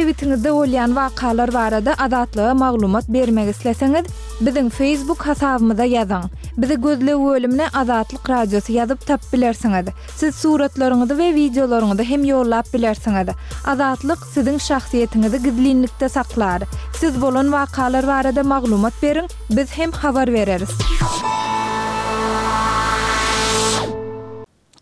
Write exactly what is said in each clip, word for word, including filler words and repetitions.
sebitiňizde bolýan wakalar barada Azatlyga maglumat bermek isleseňiz, biziň Facebook hasabymyza ýazyň. Bizi gözleg bölümine Azatlyk Radiosy ýazyp tapyp bilersiňiz. Siz suratlaryňyzy we wideolaryňyzy hem ýollap bilersiňiz. Azatlyk siziň şahsyýetiňizi gizlinlikde saklar. Siz bolan wakalar barada maglumat beriň, biz hem habar bereris.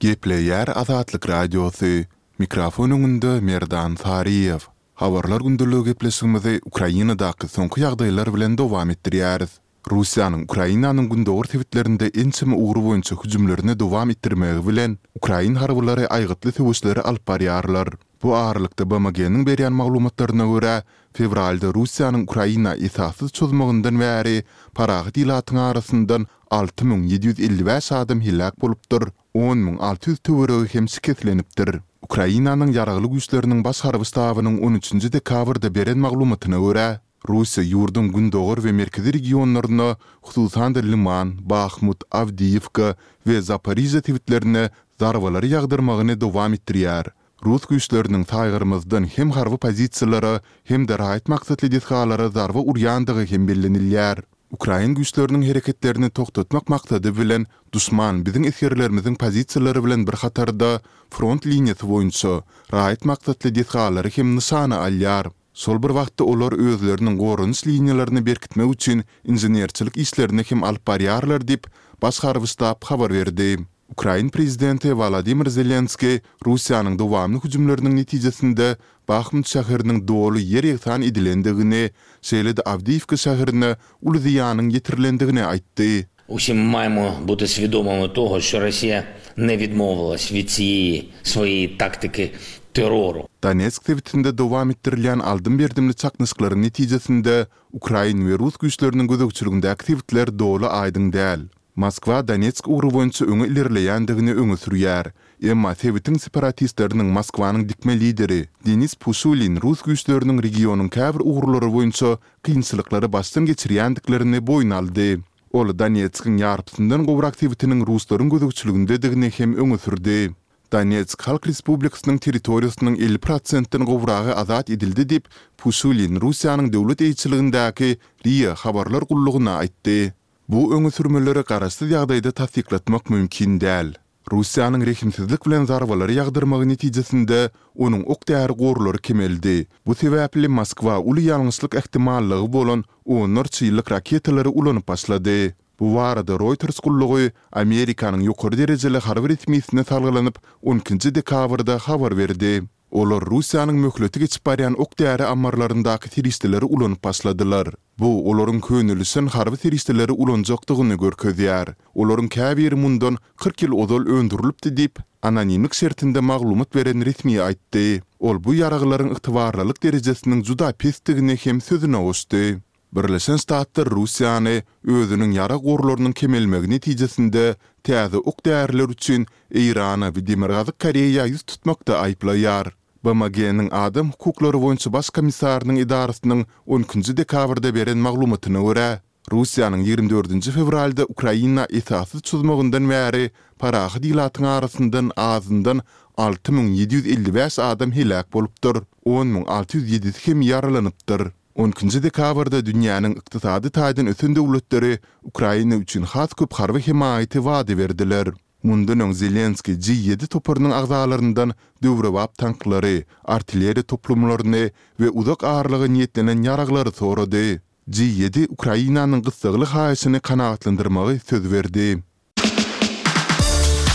Gepleýär Azatlyk Radiosy. Mikrofon öňünde Merdan Saryýew. Habarlar gündeligi gepleşigimizi Ukrainadaky soňky ýagdaýlar bilen dowam etdirýäris. Russiýanyň Ukrainanyň gündogar sebitlerinde ençeme ugur boýunça hüjümlerini dowam etdirmegi bilen, ukrain harbylary aýgytly söweşleri alyp barýarlar. Bu aralykda B M G-niň berýän maglumatlaryna görä, fewralda Russiýanyň Ukraina esassyz çozmagyndan bäri parahat ilatyň arasyndan alty müň ýedi ýüz elli bäş adam heläk bolupdyr, on müň alty ýüz töweregi hem şikeslenipdir. Ukrainanyň ýaragly güýçleriniň baş harby ştabynyň on üçünji dekabrda beren maglumatyna görä, Russiýa ýurduň gündogar we merkezi regionlaryna, hususan-da Liman, Bahmut, Awdiýewka we Zaporižýa sebitlerine zarbalary ýagdyrmagyny dowam etdirýär. Rus güýçleriniň saýgarmazdan hem harby pozisiýalara hem-de raýat maksatly desgalara zarba urýandygy hem bellenilýär. Ukrain güýçleriniň hereketlerini togtatmak maksady bilen duşman biziň esgerlerimiziň pozisiýalary bilen bir hatarda front liniýasy boýunça raýat maksatly desgalary hem nyşana alýar. Şol bir wagtda olar özleriniň goranyş liniýalaryny berkitmek üçin inženerçilik işlerini hem alyp barýarlar diýip, baş harby ştab habar berdi. Ukrain prezidenti Wolodymyr Zelenskiý Russiýanyň dowamly hüjümleriniň netijesinde Bahmut şäheriniň doly ýer ýegsan edilendigini, şeýle-de Awdiýewka şäherine uly zyýanyň ýetirilendigini aýtdy. Усі маємо бути свідомими того, що Росія не відмовилась від цієї своєї тактики терору. Donetsk sebitinde dowam etdirilýän aldym-berdimli çaknyşyklaryň netijesinde ukrain we rus güýçleriniň gözegçiligindäki sebitler doly aýdyň däl. Moskwa Donetsk ugry boýunça öňe ilerleýändigini öňe sürýär. Emma sebitiň separatistleriniň Moskwanyň dikme lideri Denis Puşilin rus güýçleriniň regionyň käbir ugurlary boýunça kynçylyklary başdan geçirýändiklerini boýun aldy. Ol Donetskiň ýarpysyndan gowrak sebitiniň ruslaryň gözegçiligindedigini hem öňe sürdi. Donetsk Halk Respublikasynyň territoriýasynyň elli prosentden gowragy azat edildi diýip, Puşilin Russiýanyň döwlet eýeçiligindäki R I A habarlar gullugyna aýtdy. Bu öňe sürmeleri garaşsyz ýagdaýda tassyklatmak mümkin däl. Russiýanyň rehimsizlik bilen zarbalary ýagdyrmagy netijesinde onuň ok-däri gorlary kemeldi. Bu sebäpli Moskwa uly ýalňyşlyk ähtimallygy bolan onlarça ýyllyk raketalary ulanyp başlady. Bu barada Reuters gullugy Amerikanyň ýokary derejeli harby resmisine salgylanyp on ikinji dekabrda habar berdi. Olar Russiýanyň möhleti geçip barýan ok-däri ammarlaryndaky serişdeleri ulanyp başladylar. Bu olaryň könelişen harby serişdeleri ulanjakdygyny görkezýär. Olaryň käbiri mundan kyrk ýyl ozal öndürilipdi diýip, anonimlik şertinde maglumat beren resmi aýtdy. Ol bu ýaraglaryň ygtybarlylyk derejesiniň juda pesdigini hem sözüne goşdy. Birleşen Ştatlar Russiýany özüniň ýarag gorlarynyň kemelmegi netijesinde täze ok-däriler üçin Eýrana we Demirgazyk Koreýa ýüz tutmakda aýyplaýar. B M G-niň adam hukuklary boýunça baş komissarynyň edarasynyň on ikinji dekabrda beren maglumatyna görä, Russiýanyň ýigrimi dördünji fewralda Ukraina esassyz çozmagyndan bäri parahat ilatyň arasyndan azyndan alty müň ýedi ýüz elli bäş adam heläk bolupdyr, on müň alty ýüz ýedisi hem ýaralanypdyr. On ikinji dekabrda dünýäniň ykdysady taýdan ösen döwletleri Ukraina üçin has köp harby hemaýaty wada berdiler. Mundan öň Zelenskiý G ýedi toparynyň agzalaryndan döwrebap tanklary, artilleriýa toplumlaryny we uzak aralyga niýetlenen ýaraglary sorady. G ýedi Ukrainanyň gyssagly haýyşyny kanagatlandyrmagy söz berdi.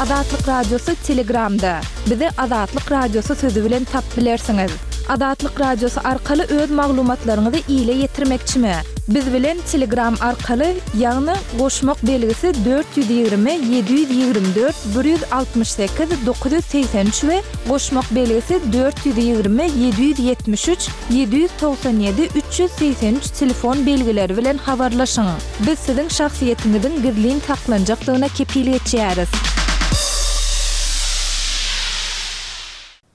Azatlyk Radiosy Telegramda. Bizi Azatlyk Radiosy sözi bilen tapyp bilersiňiz. Azatlyk Radiosy arkaly öz maglumatlaryňyzy ile ýetirmekçimi? Biz bilen Telegram arkaly, ýagny goşmak belgisi dört ýüz ýigrimi ýedi ýüz ýigrimi dört bir ýüz altmyş sekiz dokuz ýüz segsen üç we goşmak belgisi dört ýüz ýigrimi ýedi ýüz ýetmiş üç ýedi ýüz togsan ýedi üç ýüz segsen üç telefon belgileri bilen habarlaşyň. Biz siziň şahsyýetiňiziň gizlin saklanjakdygyna kepil geçýäris.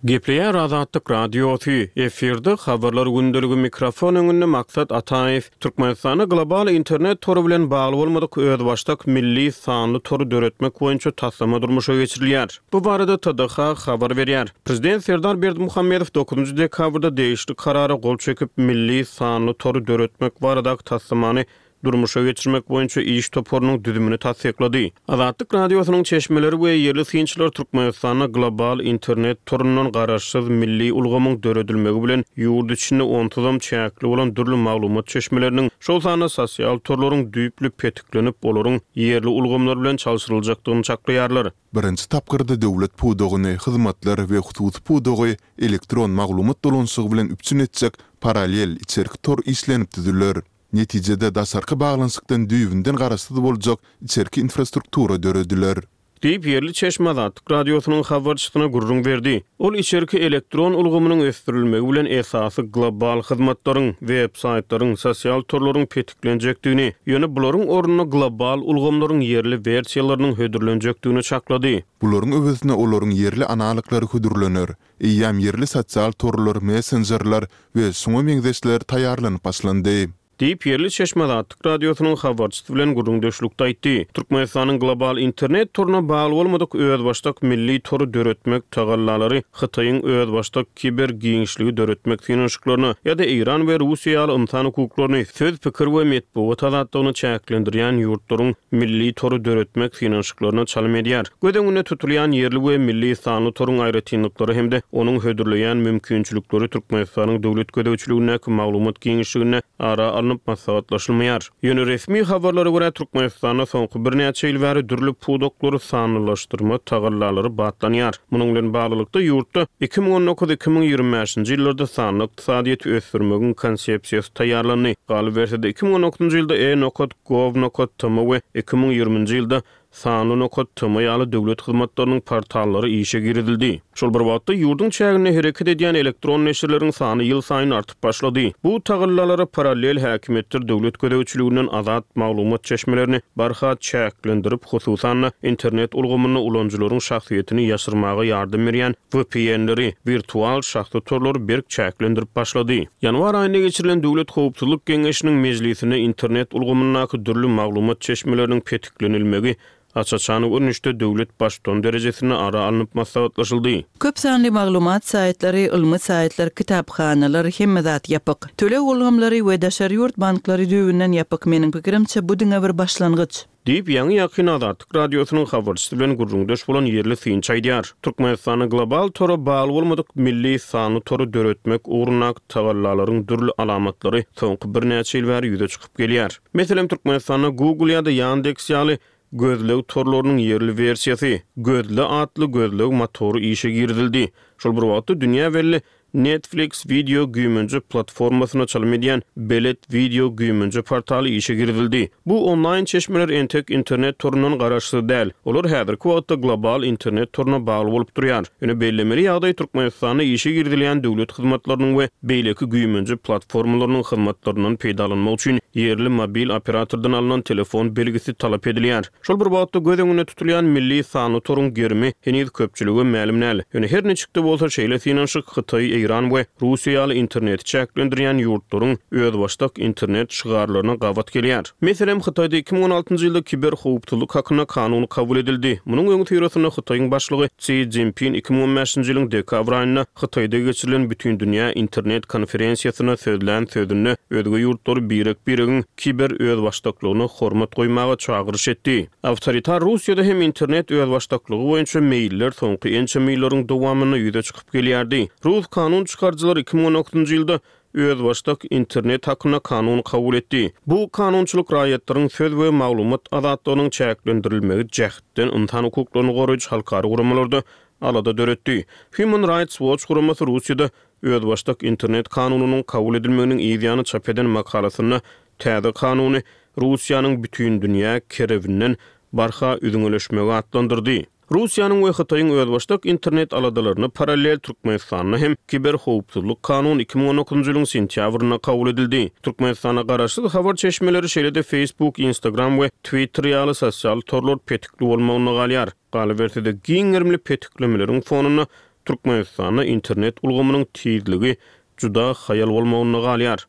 Gepleýär Azatlyk Radiosy, efirde Habarlar gündeligi mikrofon öňünde Maksat Ataýew. Türkmenistanda global internet tory bilen bagly bolmadyk özbaşdak milli sanly tory döretmek boýunça taslama durmuşa geçirilýär. Bu barada T D H habar berýär. Prezident Serdar Berdimuhamedow dokuzynjy dekabrda degişli karara gol çekip, milli sanly tory döretmek baradaky taslamany durmuşa geçirmek boýunça iş toparynyň düzümini tassyklady. Azatlyk Radiosynyň çeşmeleri we ýerli synçylar Türkmenistanda global internet torundan garaşsyz milli ulgamyň döredilmegi bilen ýurt içinde onsuzam çäkli bolan dürli maglumat çeşmeleriniň, şol sanda sosial torlaryň düýpli petiklenip, olaryň ýerli ulgamlar bilen çalşyryljakdygyny çaklaýarlar. Birinji tapgyrda döwlet pudagyny, hyzmatlar we hususy pudagy elektron maglumat dolanyşygy bilen üpjün etjek parallel içerki tor işlenip düzüler. Netijede daşarky baglanyşykdan düýbünden garaşsyz boljak içerki infrastruktura dörediler. Diýip, ýerli çeşme Azatlyk Radiosynyň habarçysyna gürrüň berdi. Ol içerki elektron ulgamynyň ösdürilmegi bilen esasy global hyzmatlaryň, web saýtlaryň, sosial torlaryň petiklenjekdigini, ýöne bularyň ornuna global ulgamlaryň ýerli wersiýalarynyň hödürlenjekdigini çaklady. Bularyň öwezine olaryň ýerli analoglary hödürlener. Eýýäm ýerli sosial torlar, messenjerler we şuňa meňzeşler taýýarlanyp başlandy. Diýip, ýerli çeşme Azatlyk Radiosynyň habarçysy bilen gürrüňdeşlikde aýtdy. Türkmenistanyň global internet toruna bagly bolmadyk özbaşdak milli tory döretmek tagallalary Hytaýyň özbaşdak kiber giňişligi döretmek synanyşyklaryna ýa-da Eýran we Russiýa ýaly ynsan hukuklaryny, söz, pikir we metbugat azatlygyny çäklendirýän ýurtlaryň milli tory döretmek synanyşyklaryna çalym edýär. Göz öňünde tutulýan ýerli we milli sanly toruň aýratynlyklary hem-de onuň hödürleýän mümkinçilikleri Türkmenistanyň döwlet gözegçiligindäki maglumat giňişliginde ara alnyp maslahatlaşylmaýar. Ýöne resmi habarlara görä, Türkmenistanda soňky birnäçe ýyl bäri dürli pudaklary sanlylaşdyrma tagallalary batlanýar. Munuň bilen baglylykda ýurtda iki müň on dokuz iki müň ýigrimi bäşinji ýyllarda sanly ykdysadyýeti ösdürmegiň konsepsiýasy taýýarlandy. Galyberse-de iki müň on dokuzynjy ýylda e nokat gov nokat tm we iki müň ýigriminji ýylda sanly nokat tm ýaly döwlet hyzmatlarynyň portallary işe girizildi. Şol bir wagtda ýurduň çäginde hereket edýän elektron neşirleriň sany ýyl saýyn artyp başlady. Bu tagallalara parallel häkimiýetler döwlet gözegçiliginden azat maglumat çeşmelerini barha çäklendirip, hususan-da internet ulgamynda ulanyjylaryň şahsyýetini ýaşyrmaga ýardam berýän V P N-leri, wirtual şahsy torlary berk çäklendirip başlady. Ýanwar aýynda geçirilen Döwlet Howpsuzlyk Geňeşiniň mejlisinde internet ulgamyndaky dürli maglumat çeşmeleriniň petiklenilmegi aç-açan görnüşde döwlet baştutan derejesinde ara alnyp maslahatlaşyldy. Köp sanly maglumat saýtlary, ylmy saýtlar, kitaphanalar hemme zat ýapyk. Töleg ulgamlary we daşary ýurt banklary düýbünden ýapyk. Meniň pikirimçe, bu diňe bir başlangyç. Diýip, ýaňy ýakyn Azatlyk Radiosynyň habarçysy bilen gürrüňdeş bolan ýerli synçy aýdýar. Türkmenistanda global tora bagly bolmadyk milli sanly tory döretmek ugrundaky tagallalaryň dürli alamatlary soňky birnäçe ýyl bäri ýüze çykyp gelýär. Meselem, Türkmenistanda Google ýa-da Yandex ýaly gözleg torlarynyň ýerli wersiýasy, Gözle atly gözleg motory işe girizildi. Şol bir wagtda dünýä belli Netflix video güýmenje platformasyna çalym edýän Belet video güýmenje portaly işe girizildi. Bu onlaýn çeşmeler entek internet torundan garaşsyz däl. Olar häzirki wagtda global internet toruna bagly bolup durýar. Ýöne bellemeli ýagdaý Türkmenistanda işe girizilýän döwlet hyzmatlarynyň we beýleki güýmenje platformalarynyň hyzmatlaryndan peýdalanmak üçin ýerli mobil operatordan alnan telefon belgisi talap edilýär. Şol bir wagtda göz öňünde tutulýan milli sanly toruň gerimi heniz köpçülige mälim däl. Ýöne her niçik-de bolsa şeýle synanyşyk Hytaý, Eýran we Russiýa ýaly interneti çäklendirýän ýurtlaryň özbaşdak internet şygarlaryna gabat gelýär. Meselem, Hytaýda iki müň on altynjy ýylda kiber howpsuzlyk hakynda kanun kabul edildi. Munuň öňüsyrasynda Hytaýyň başlygy Xi Jinping iki müň on bäşinji ýylyň dekabr aýynda Hytaýda geçirilen Bütindünýä internet konferensiýasyna sözlän sözünde özge ýurtlary birek-biregiň kiber özbaşdaklygyna hormat goýmaga çagyryş etdi. Awtoritar Russiýada hem internet özbaşdaklygy boýunça meýiller soňky ençeme ýyllaryň dowamynda ýüze çykyp gelýärdi. Rus kanun çykaryjylary iki müň on dokuzynjy ýylda özbaşdak internet hakynda kanun kabul etdi. Bu kanunçylyk raýatlaryň söz we maglumat azatlygynyň çäklendirilmegi jähtden ynsan hukuklaryny goraýjy halkara guramalarda alada döretdi. Human Rights Watch guramasy Russiýada özbaşdak internet kanunynyň kabul edilmeginiň ýany çap eden makalasynda täze kanuny Russiýanyň bütün dünýä kerewinden barha üzňeleşmegi atlandyrdy. Russiýanyň we Hytaýyň özbaşdak internet aladalaryna parallel Türkmenistanda hem kiber howpsuzlyk kanuny iki müň on dokuzynjy ýylyň sentýabrynda kabul edildi. Türkmenistanda garaşsyz habar çeşmeleri şeýle-de Facebook, Instagram we Twitter ýaly sosial torlar petikli bolmagyna galýar. Galyberse-de giň gerimli petiklemeleriň fonunda Türkmenistanda internet ulgamynyň tizligi juda haýal bolmagynda galýar.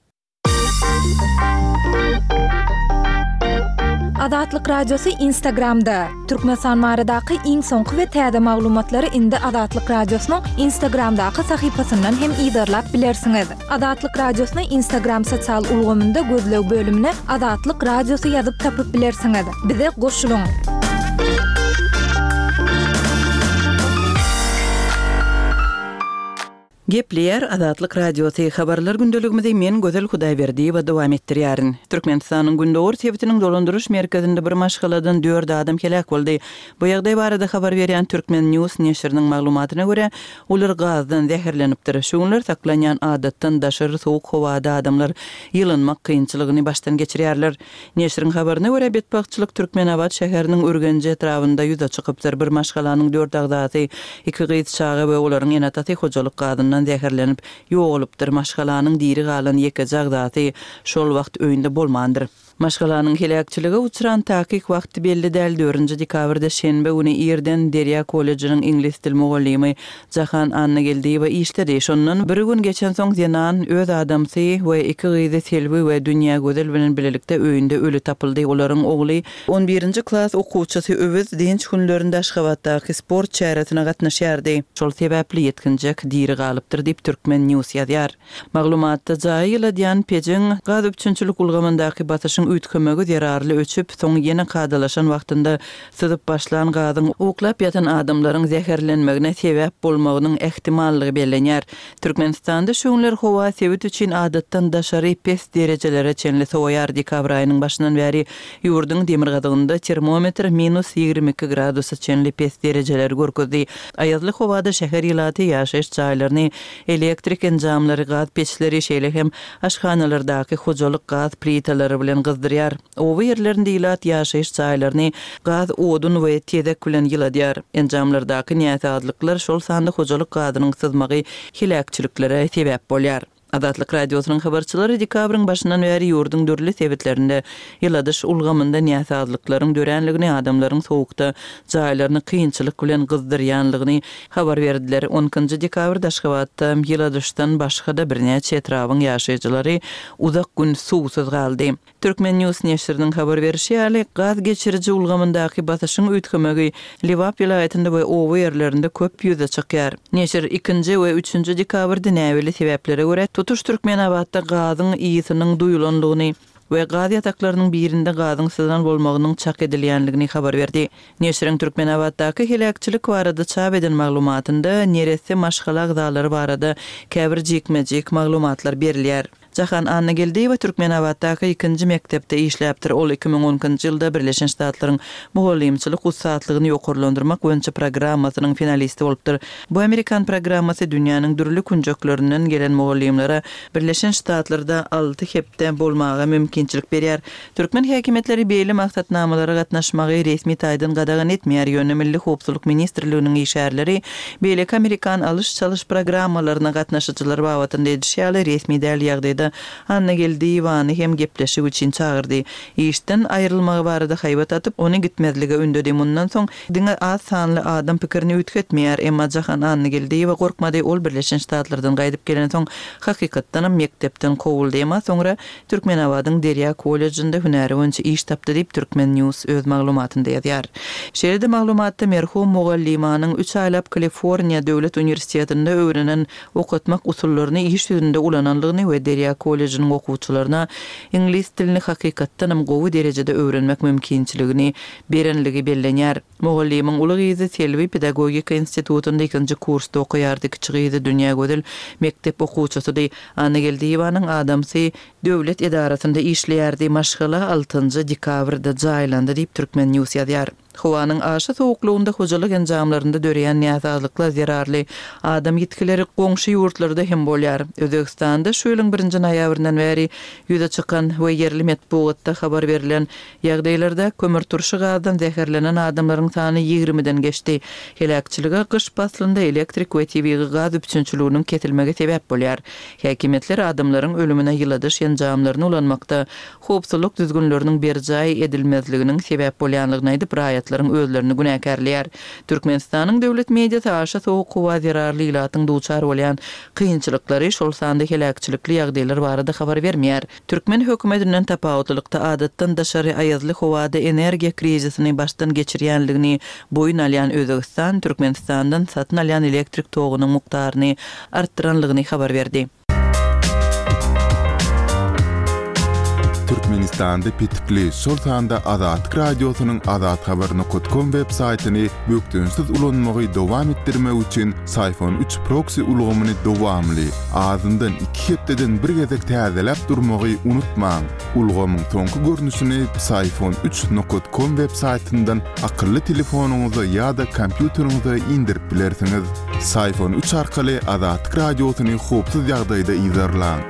Azatlyk Radiosy Instagramda. Türkmenistan baradaky iň soňky we täze maglumatlary indi Azatlyk Radiosynyň Instagramdaky sahypasyndan hem yzarlap bilersiňiz. Azatlyk Radiosyny Instagram sosial ulgamynda gözleg bölümine Azatlyk Radiosy ýazyp tapyp bilersiňiz. Bize goşulyň! Gepleýär Azatlyk Radiosy, Habarlar gündeligimizi men Gözel Hudaýberdiýewa dowam etdirýärin. Türkmenistanyň gündogar sebitiniň dolandyryş merkezinde bir maşgaladan dört adam heläk boldy. Bu ýagdaý barada habar berýän Turkmen News neşiriniň maglumatyna görä, olar gazdan zäherlenipdir. Şu günler saklanýan adatdan daşary sowuk howada adamlar ýylynmak kynçylygyny başdan geçirýärler. Neşiriň habaryna görä, betbagtçylyk Türkmenabat şäheriniň Ürgenji etrabynda ýüze çykypdyr. Bir maşgalanyň dört agzasy, iki gyz çaga we olaryň ene-atasy hojalyk gazyndan zäherlenip ýogalypdyr. Maşgalanyň diri galan ýekeje agzasy şol wagt öýünde bolmandyr. Maşgalanyň heläkçilige uçran takyk wagty belli däl. Dördünji dekabrda şenbe güni irden Derýa kollejiniň iňlis dil mugallymy Jahan Annageldiýewa işledi. Şondan bir gün geçensoň zenan öz adamsy we iki gyzy Selbi we Dünýägözel bilen bilelikde öýünde öli tapyldy. Olaryň ogly, on birinji klas okuwçysy Öwez dynç günlerinde Aşgabatdaky sport çäresine gatnaşýardy. Şol sebäpli ýetginjek diri galypdyr diýip, Turkmen News ýazýar. Maglumatda jaýy ýyladýan pejiň gaz üpjünçilik ulgamyndaky basyşyň üýtgemegi zerarly öçüp, soň ýene kadalaşan wagtynda syzyp başlan gazyň uklap ýatan adamlaryň zäherlenmegine sebäp bolmagynyň ähtimallygy bellenýär. Türkmenistanda şu günler howa sebit üçin adatdan daşary pes derejelere çenli sowaýar. Dekabr aýynyň başyndan bäri ýurduň demirgazygynda termometr minus ýigrimi iki gradusa çenli pes derejeleri görkezdi. Aýazly howada şäher ilaty ýaşaýyş jaýlaryny elektrik enjamlary, gaz peçleri, şeýle hem aşhanalardaky hojalyk gaz plitalary bilen gyzdyrýar. Oba ýerlerinde ilat ýaşaýyş jaýlaryny gaz, odun we tezek bilen ýyladýar. Enjamlardaky näsazlyklar, şol sanda hojalyk gazynyň syzmagy heläkçiliklere sebäp bolýar. Azatlyk Radiosynyň habarçylary dekabryň başyndan bäri ýurduň dürli sebitlerinde ýyladyş ulgamynda näsazlyklaryň döränligini, adamlaryň sowukda jaýlaryny kynçylyk bilen gyzdyrýanlygyny habar berdiler. On ikinji dekabrda Aşgabatda ýyladyşdan başga-da birnäçe etrabyň ýaşaýjylary uzak gün suwsuz galdy. Turkmen News neşiriniň habar berişi ýaly, gaz geçiriji ulgamyndaky basyşyň üýtgemegi Lebap welaýatynda we oba ýerlerinde köp ýüze çykýar. Neşir ikinji we üçünji dekabrda näbelli sebäplere görä tutuş Türkmenabatda gazyň ysynyň duýulandygyny we gaz ýataklarynyň birinde gazyň syzan bolmagynyň çak edilýänligini habar berdi. Neşiriň Türkmenabatdaky heläkçilik barada çap eden maglumatynda neresse maşgala agzalary barada käbir jikme-jik maglumatlar berilýär. Jahan Annageldiýewa Türkmenabatdaky ikinji mekdepde işläpdir. Ol iki müň on ikinji ýylda Birleşen Ştatlaryň mugallymçylyk ussatlygyny ýokarlandyrmak boýunça programmasynyň finalisti bolupdyr. Bu amerikan programmasy dünýäniň dürli künjeklerinden gelen mugallymlara Birleşen Ştatlarda alty hepde bolmaga mümkinçilik berýär. Türkmen häkimiýetleri beýle maksatnamalara gatnaşmagy resmi taýdan gadagan etmeýär, ýöne Milli howpsuzlyk ministrliginiň işgärleri beýleki amerikan alyş-çalyş programmalaryna gatnaşyjylar babatynda edişi ýaly resmi däl ýagdaýda Annageldiýewany hem gepleşik üçin çagyrdy. Işden aýrylmagy barada haýbat atyp, ony gitmezlige ündedi. Mundan soň diňe az sanly adam pikirini üýtgetmeýär. Emma Jahan Annageldiýewa gorkmady, ol Birleşen Ştatlardan gaýdyp gelensoň hakykatdanam mekdepden kowuldy. Emma soňra Türkmenabadyň Derýa kollejinde hünäri boýunça iş tapdy diýip, Turkmen News öz maglumatynda ýazýar. Şeýle-de maglumatda merhum mugallymanyň üç aýlap Kaliforniýa döwlet uniwersitetinde öwrenen okatmak usullaryny iş ýüzünde ulananlygyny we Derýa kollejiniň okuwçylaryna iňlis dilini hakykatdanam gowy derejede öwrenmek mümkinçiligini berenligi bellenýär. Mugallymyň uly gyzy Selbi pedagogika institutynda ikinji kursda okaýardy, kiçi gyzy Dünýägözel mekdep okuwçysydy. Annageldiýewanyň adamsy döwlet edarasynda işleýärdi, maşgala altynjy dekabrda jaýlandy diýip, Turkmen News ýazýar. Howanyň aşa sowuklygynda hojalyk enjamlarynda döreýän näsazlyklar zerarly adam ýitgileri goňşy ýurtlarda hem bolýar. Özbegistanda şu ýylyň birinji noýabryndan bäri ýüze çykan we ýerli metbugatda habar berlen ýagdaýlarda kömürturşy gazdan zäherlenen adamlaryň sany ýigrimiden geçdi. Heläkçilige gyş paslynda elektrik we tebigy gaz üpjünçiliginiň kesilmegi sebäp bolýar. Häkimiýetler adamlaryň ölümine ýyladyş enjamlaryny ulanmakda howpsuzlyk düzgünleriniň berjaý edilmezliginiň sebäp bolýanlygyny aýdyp, raýatlara raýatlaryň özlerini günäkärleýär. Türkmenistanyň döwlet mediasy aşa sowuk howa zerarly ilatyň duçar bolýan kynçylyklary, şol sanda heläkçilikli ýagdaýlar barada habar bermeýär. Türkmen hökümetinden tapawutlylykda adatdan daşary aýazly howada energiýa krizisini başdan geçirýänligini boýun alýan Özbegistan Türkmenistandan satyn alýan elektrik togunyň mukdaryny artdyranlygyny habar berdi. Türkmenistanda petikli, şol sanda Azatlyk Radiosynyň azathabar nokat kom web saýtyny bökdençsiz ulanmagy dowam etdirmek üçin Syfon üç proksi ulgamyny dowamly, azyndan iki hepdeden bir gezek täzeläp durmagy unutmaň. Ulgamyň soňky görnüşini Psiphon üç nokat kom web saýtyndan akylly telefonyňyza ýa-da kompýuteriňize indirip bilersiňiz. Psiphon üç arkaly Azatlyk Radiosyny howpsuz ýagdaýda yzarlaň.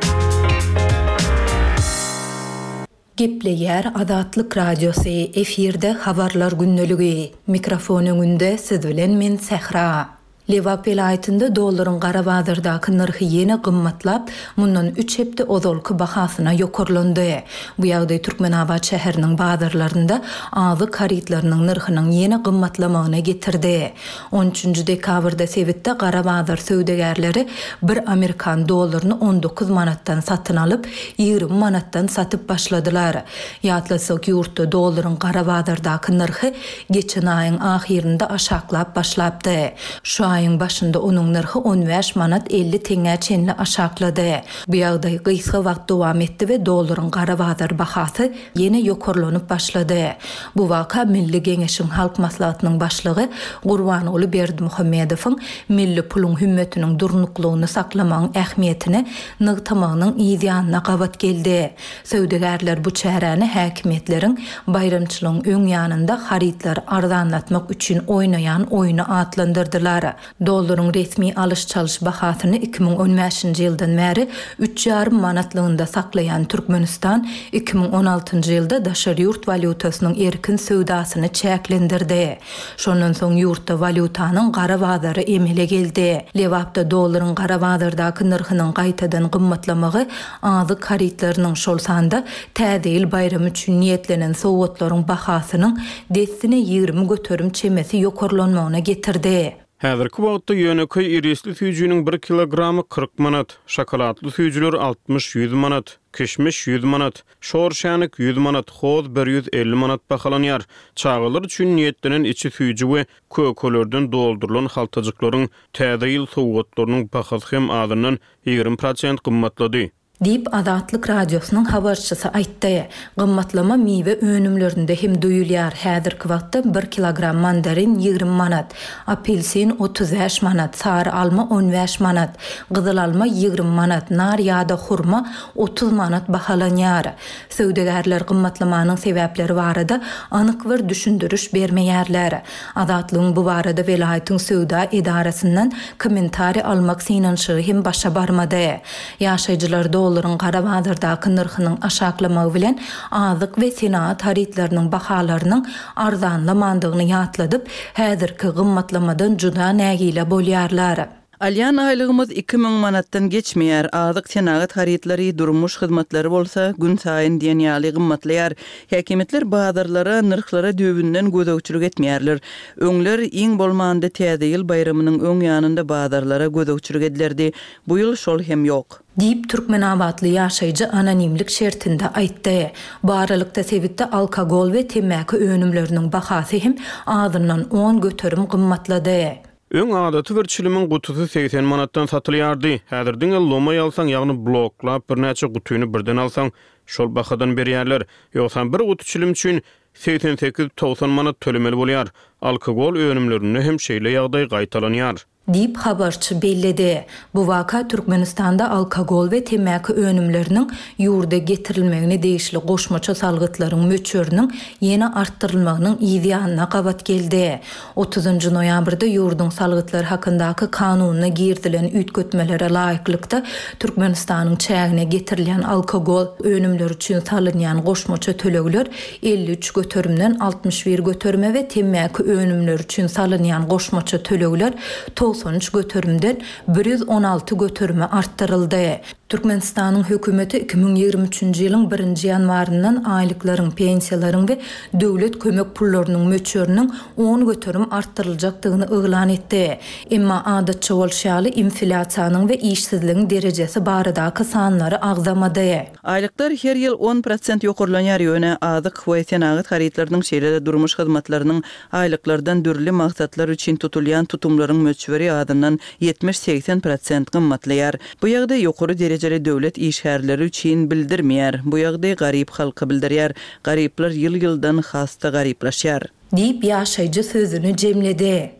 Gepleýär Azatlyk Radiosy, efirde Habarlar gündeligi. Mikrofon öňünde siz bilen men Sähra. Lebap welaýatynda dollaryň gara bazardaky nyrhy ýene gymmatlap, mundan üç hepde ozalky bahasyna ýokarlandy. Bu ýagdaý Türkmenabat şäheriniň bazarlarynda azyk harytlarynyň nyrhynyň ýene gymmatlamagyna getirdi. On üçünji dekabrda sebitde gara bazar söwdagärleri bir amerikan dollaryny on dokuz manatdan satyn alyp, ýigrimi manatdan satyp başladylar. Ýatlasak, ýurtda dollaryň gara bazardaky nyrhy geçen aýyň ahyrynda aşaklap başlapdy. Şu aýyň başynda onuň nyrhy on bäş manat elli teňňä çenli aşaklady. Bu ýagdaý gysga wagt dowam etdi we dollaryň gara bazar bahasy ýene ýokarlanyp başlady. Bu waka Milli Geňeşiň Halk Maslahatynyň başlygy Gurbanguly Berdimuhamedowyň milli puluň hümmetiniň durnuklygyny saklamagyň ähmiýetini nygtamagynyň yz ýanyna gabat geldi. Söwdagärler bu çäräni häkimiýetleriň baýramçylygyň öň ýanynda harytlary arzanlatmak üçin oýnaýan oýny atlandyrdylar. Dollaryň resmi alyş-çalyş bahasyny iki müň on bäşinji ýyldan bäri üç ýarym manatlygynda saklaýan Türkmenistan iki müň on altynjy ýylda daşary ýurt walýutasynyň erkin söwdasyny çäklendirdi. Şondan soň ýurtda walýutanyň gara bazary emele geldi. Lebapda dollaryň gara bazardaky nyrhynyň gaýtadan gymmatlamagy azyk harytlarynyň, şol sanda Täze ýyl baýramy üçin niýetlenen sowgatlaryň bahasynyň dessine ýigrimi göterim çemesi ýokarlanmagyna getirdi. Häzirki wagtda ýönekeý irisli süýjüniň bir kilogramy kyrk manat, şokoladly süýjüler altmyş ýüz manat, kişmiş ýüz manat, şor şänik ýüz manat, hoz bir ýüz elli manat bahalanýar. Çagalar üçin niýetlenen içi süýji we kökelerden doldurylan haltajyklaryň Täze ýyl sowgatlarynyň bahasy hem azyndan ýigrimi prosent gymmatlady. Diýip, Azatlyk Radiosynyň habarçysy aýtdy. Gymmatlama miwe önümlerinde hem duýulýar. Häzirki wagtda bir kilogram mandarin ýigrimi manat, apelsin otuz bäş manat, sary alma on bäş manat, gyzyl alma ýigrimi manat, nar ýa-da hurma otuz manat bahalanýar. Söwdagärler gymmatlamanyň sebäpleri barada anyk bir düşündiriş bermeýärler. Azatlygyň bu barada welaýatyň söwda edarasyndan kommentariý almak synanyşygy hem başa barmady. Ýaşaýjylar dollaryň gara bazardaky nyrhynyň aşaklamagy bilen azyk we senagat harytlarynyň bahalarynyň arzanlamandygyny ýatladyp, häzirki gymmatlamadan juda nägile bolýarlar. Alýan aýlygymyz iki müň manatdan geçmeýär, azyk senagat harytlary, durmuş hyzmatlary bolsa günsaýyn diýen ýaly gymmatlaýar. Häkimiýetler bazarlara, nyrhlara düýbünden gözegçilik etmeýärler. Öňler iň bolmanda Täze ýyl baýramynyň öň ýanynda bazarlara gözegçilik edilerdi. Bu ýyl şol hem ýok. Diýip, türkmenabatly ýaşaýjy anonimlik şertinde aýtdy. Bu aralykda sebitde alkogol we temmäki önümleriniň bahasy hem azyndan on göterim gymmatlady. Öň adaty bir çilimiň gutusy segsen manatdan satylýardy. Häzir diňe lomaý alsaň, ýagny bloklap birnäçe gutyny birden alsaň, şol bahadan berýärler. Ýogsam bir guty çilim üçin segsen sekiz togsan manat tölemeli bolýar. Alkogol önümlerinde hem şeýle ýagdaý gaýtalanýar. Diýip, habarçy belledi. Bu waka Türkmenistanda alkogol we temmäki önümleriniň ýurda getirilmegine degişli goşmaça salgytlaryň möçberiniň ýene artdyrylmagynyň yz ýanyna gabat geldi. Otuzynjy noýabrda ýurduň salgytlar hakyndaky kanunyna girizilen üýtgetmelere laýyklykda Türkmenistanyň çägine getirilýän alkogol önümleri üçin salynýan goşmaça tölegler elli üç göterimden altmyş bir göterime we temmäki önümleri üçin salynýan goşmaça tölegler togsan üç göterimden bir ýüz on alty göterime artdyryldy. Türkmenistanyň hökümeti iki müň ýigrimi üçünji ýylyň birinji ýanwaryndan aýlyklaryň, pensiýalaryň we döwlet kömek pullarynyň möçberiniň on göterim artdyryljakdygyny yglan etdi. Emma adatça bolşy ýaly, inflýasiýanyň we işsizligiň derejesi baradaky sanlary agzamady. Aýlyklar her ýyl on prosent ýokarlanýar, ýöne azyk we senagat harytlarynyň, şeýle-de durmuş hyzmatlarynyň aýlyklardan dürli maksatlar üçin tutulýan tutumlaryň möçberi azyndan ýetmiş-segsen prosent gymmatlaýar. Bu ýagdaý ýokary derejeli döwlet işgärleri üçin bildirmeýär. Bu ýagdaý garyp halka bildirýär. Garyplar ýyl-ýyldan has-da garyplaşýar. Diýip, ýaşaýjy sözüni jemledi.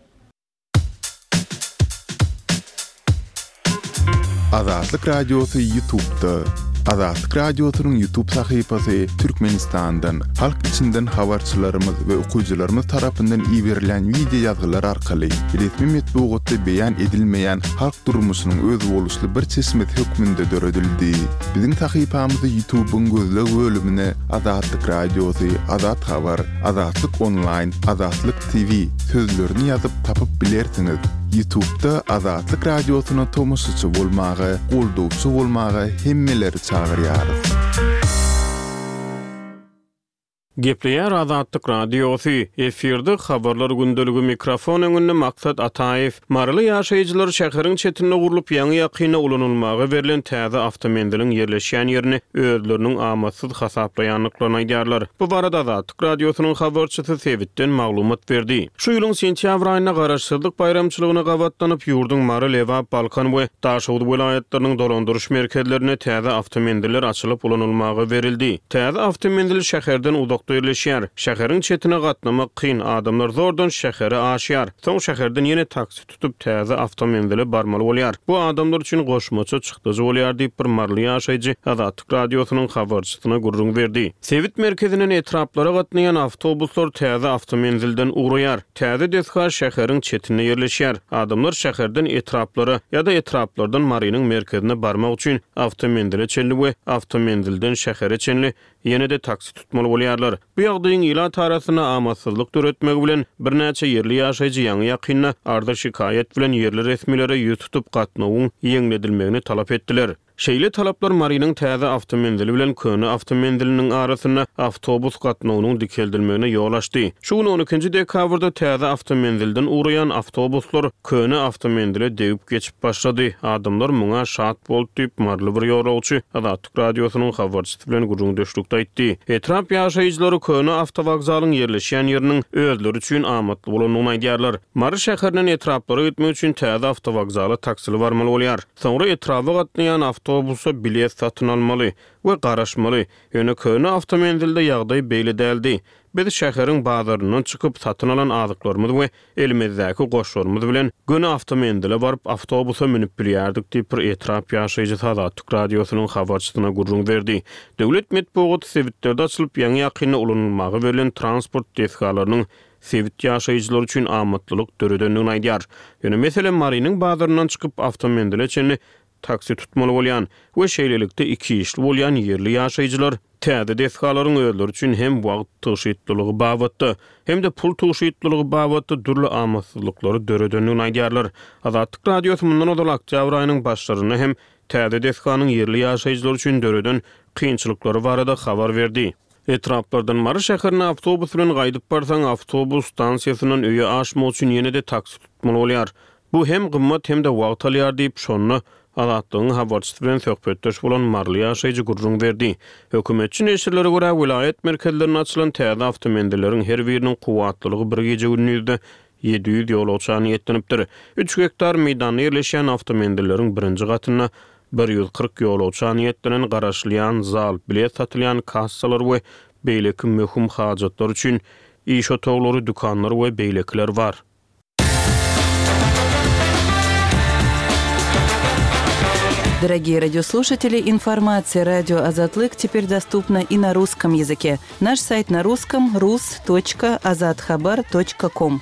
Azatlyk Radiosy Ýutubda. Azatlyk Radiosynyň Ýutub sahypasy Türkmenistandan, halk içinden habarçylarymyz we okyjylarymyz tarapyndan iberilýän wideo ýazgylar arkaly resmi metbugatda beýan edilmeýän halk durmuşynyň özboluşly bir çeşmesi hökmünde döredildi. Biziň sahypamyzy Ýutubyň gözleg bölümine Azatlyk Radiosy, Azat Habar, Azatlyk Onlaýn, Azatlyk T V sözlerini ýazyp tapyp bilersiňiz. Ýutubda Azatlyk Radiosyna tomaşaçy bolmaga, goldawçy bolmaga hemmeleri çagyrýarys. Gepleýär Azatlyk Radiosy, efirde Habarlar gündeligi, mikrofon öňünde Maksat Ataýew. Maryly ýaşaýjylar şäheriň çetinde gurlup, ýaňy-ýakynda ulanylmaga berlen täze awtomenziliň ýerleşýän ýerini özleriniň amatsyz hasaplaýandyklaryny aýdýarlar. Bu barada Azatlyk Radiosynyň habarçysy sebitden maglumat berdi. Şu ýylyň sentýabr aýynda Garaşsyzlyk baýramçylygyna gabatlanyp, ýurduň Mary, Lebap, Balkan we Daşoguz welaýatlarynyň dolandyryş merkezlerinde täze awtomenziller açylyp ulanylmaga berildi. Täze awtomenzil şäherden uzakda ýerleşýär. Şäheriň çetine gatnamak kyn, adamlar zordan şähere aşýar. Soň şäherden ýene taksi tutup täze awtomenzile barmaly bolýar. Bu adamlar üçin goşmaça çykdajy bolýar diýip, bir maryly ýaşaýjy Azatlyk Radiosynyň habarçysyna gürrüň berdi. Sebit merkezinden etraplara gatnaýan awtobuslar täze awtomenzilden ugraýar. Täze desga şäheriň çetinde ýerleşýär. Adamlar şäherden etraplara ýa-da etraplardan Marynyň merkezine barmak üçin awtomenzile çenli we awtomenzilden şähere çenli ýene-de taksi tutmaly bolýarlar. Bu ýagdaýyň ilat arasynda amatsyzlyk döretmegi bilen birnäçe ýerli ýaşaýjy ýaňy-ýakynda arza-şikaýat bilen ýerli resmilere ýüz tutup gatnawyň ýeňledilmegini talap etdiler. Şeýle talaplar Marynyň täze awtomenzili bilen köne awtomenziliniň arasynda awtobus gatnawynyň dikeldilmegine ýol açdy. Şu gün on ikinji dekabrda täze awtomenzilden ugraýan awtobuslar köne awtomenzile degip geçip başlady. Adamlar muňa şat boldy diýip, maryly bir ýolagçy Azatlyk Radiosynyň habarçysy bilen gürrüňdeşlikde aýtdy. Etrap ýaşaýjylary köne awtowokzalyň ýerleşýän ýeriniň özleri üçin amatly bolandygyny aýdýarlar. Mary şäherinden etraplara gitmek üçin täze awtowokzala taksili barmaly bolýar. Soňra etraba gatnaýan awtobusa bilet satyn almaly we garaşmaly. Ýöne köne awtomenzilde ýagdaý beýle däldi. Biz şäheriň bazaryndan çykyp satyn alan azyklarymyz we elimizdäki goşlarymyz bilen göni awtomenzile baryp awtobusa münüp bilýärdik diýip, bir etrap ýaşaýjysy Azatlyk Radiosynyň habarçysyna gürrüň berdi. Döwlet metbugaty sebitlerde açylyp ýaňy-ýakynda ulanylmaga berlen transport desgalarynyň sebit ýaşaýjylary üçin amatlylyk döredendigini aýdýar. Ýöne meselem Marynyň bazaryndan çykyp awtomenzile çenli taksi tutmaly bolýan we şeýlelikde iki işli bolýan ýerli ýaşaýjylar täze desgalaryň özleri üçin hem wagt tygşytlylygy babatda hem-de pul tygşytlylygy babatda dürli amatsyzlyklary döredendigini aýdýarlar. Azatlyk Radiosy mundan ozal oktýabr aýynyň başlarynda hem täze desganyň ýerli ýaşaýjylar üçin döreden kynçylyklary barada habar berdi. Etraplardan Mary şäherine awtobus bilen gaýdyp barsaň, awtobus stansiýasyndan öýe aşmak üçin ýene-de taksi tutmaly bolýar. Bu hem gymmat hem-de wagt alýar diýip, şonda Azatlygyň habarçysy bilen söhbetdeş bolan maryly ýaşaýjy gürrüň berdi. Hökümetçi neşirlere görä, welaýat merkezlerinde açylan täze awtomenzilleriň her biriniň kuwwatlylygy bir gije-gündizde ýedi ýüz ýolagça niýetlenipdir. Üç gektar meýdanda ýerleşýän awtomenzilleriň birinji gatynda bir ýüz kyrk ýolagça niýetlenen garaşylýan zal, bilet satylýan kassalar we beýleki möhüm hajatlar üçin iş otaglary, dükanlar we beýlekiler bar. Дорогие радиослушатели, информация радио Азатлык теперь доступна и на русском языке. Наш сайт на русском рус точка азатхабар точка ком.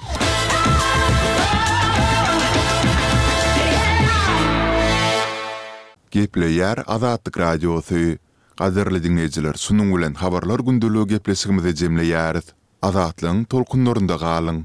Gepleýär Azatlyk Radiosy. Gadyrly dinleýjiler, şunuň bilen habarlar gündeligi gepleşigimizi jemleýäris. Azatlygyň tolkunlarynda galyň.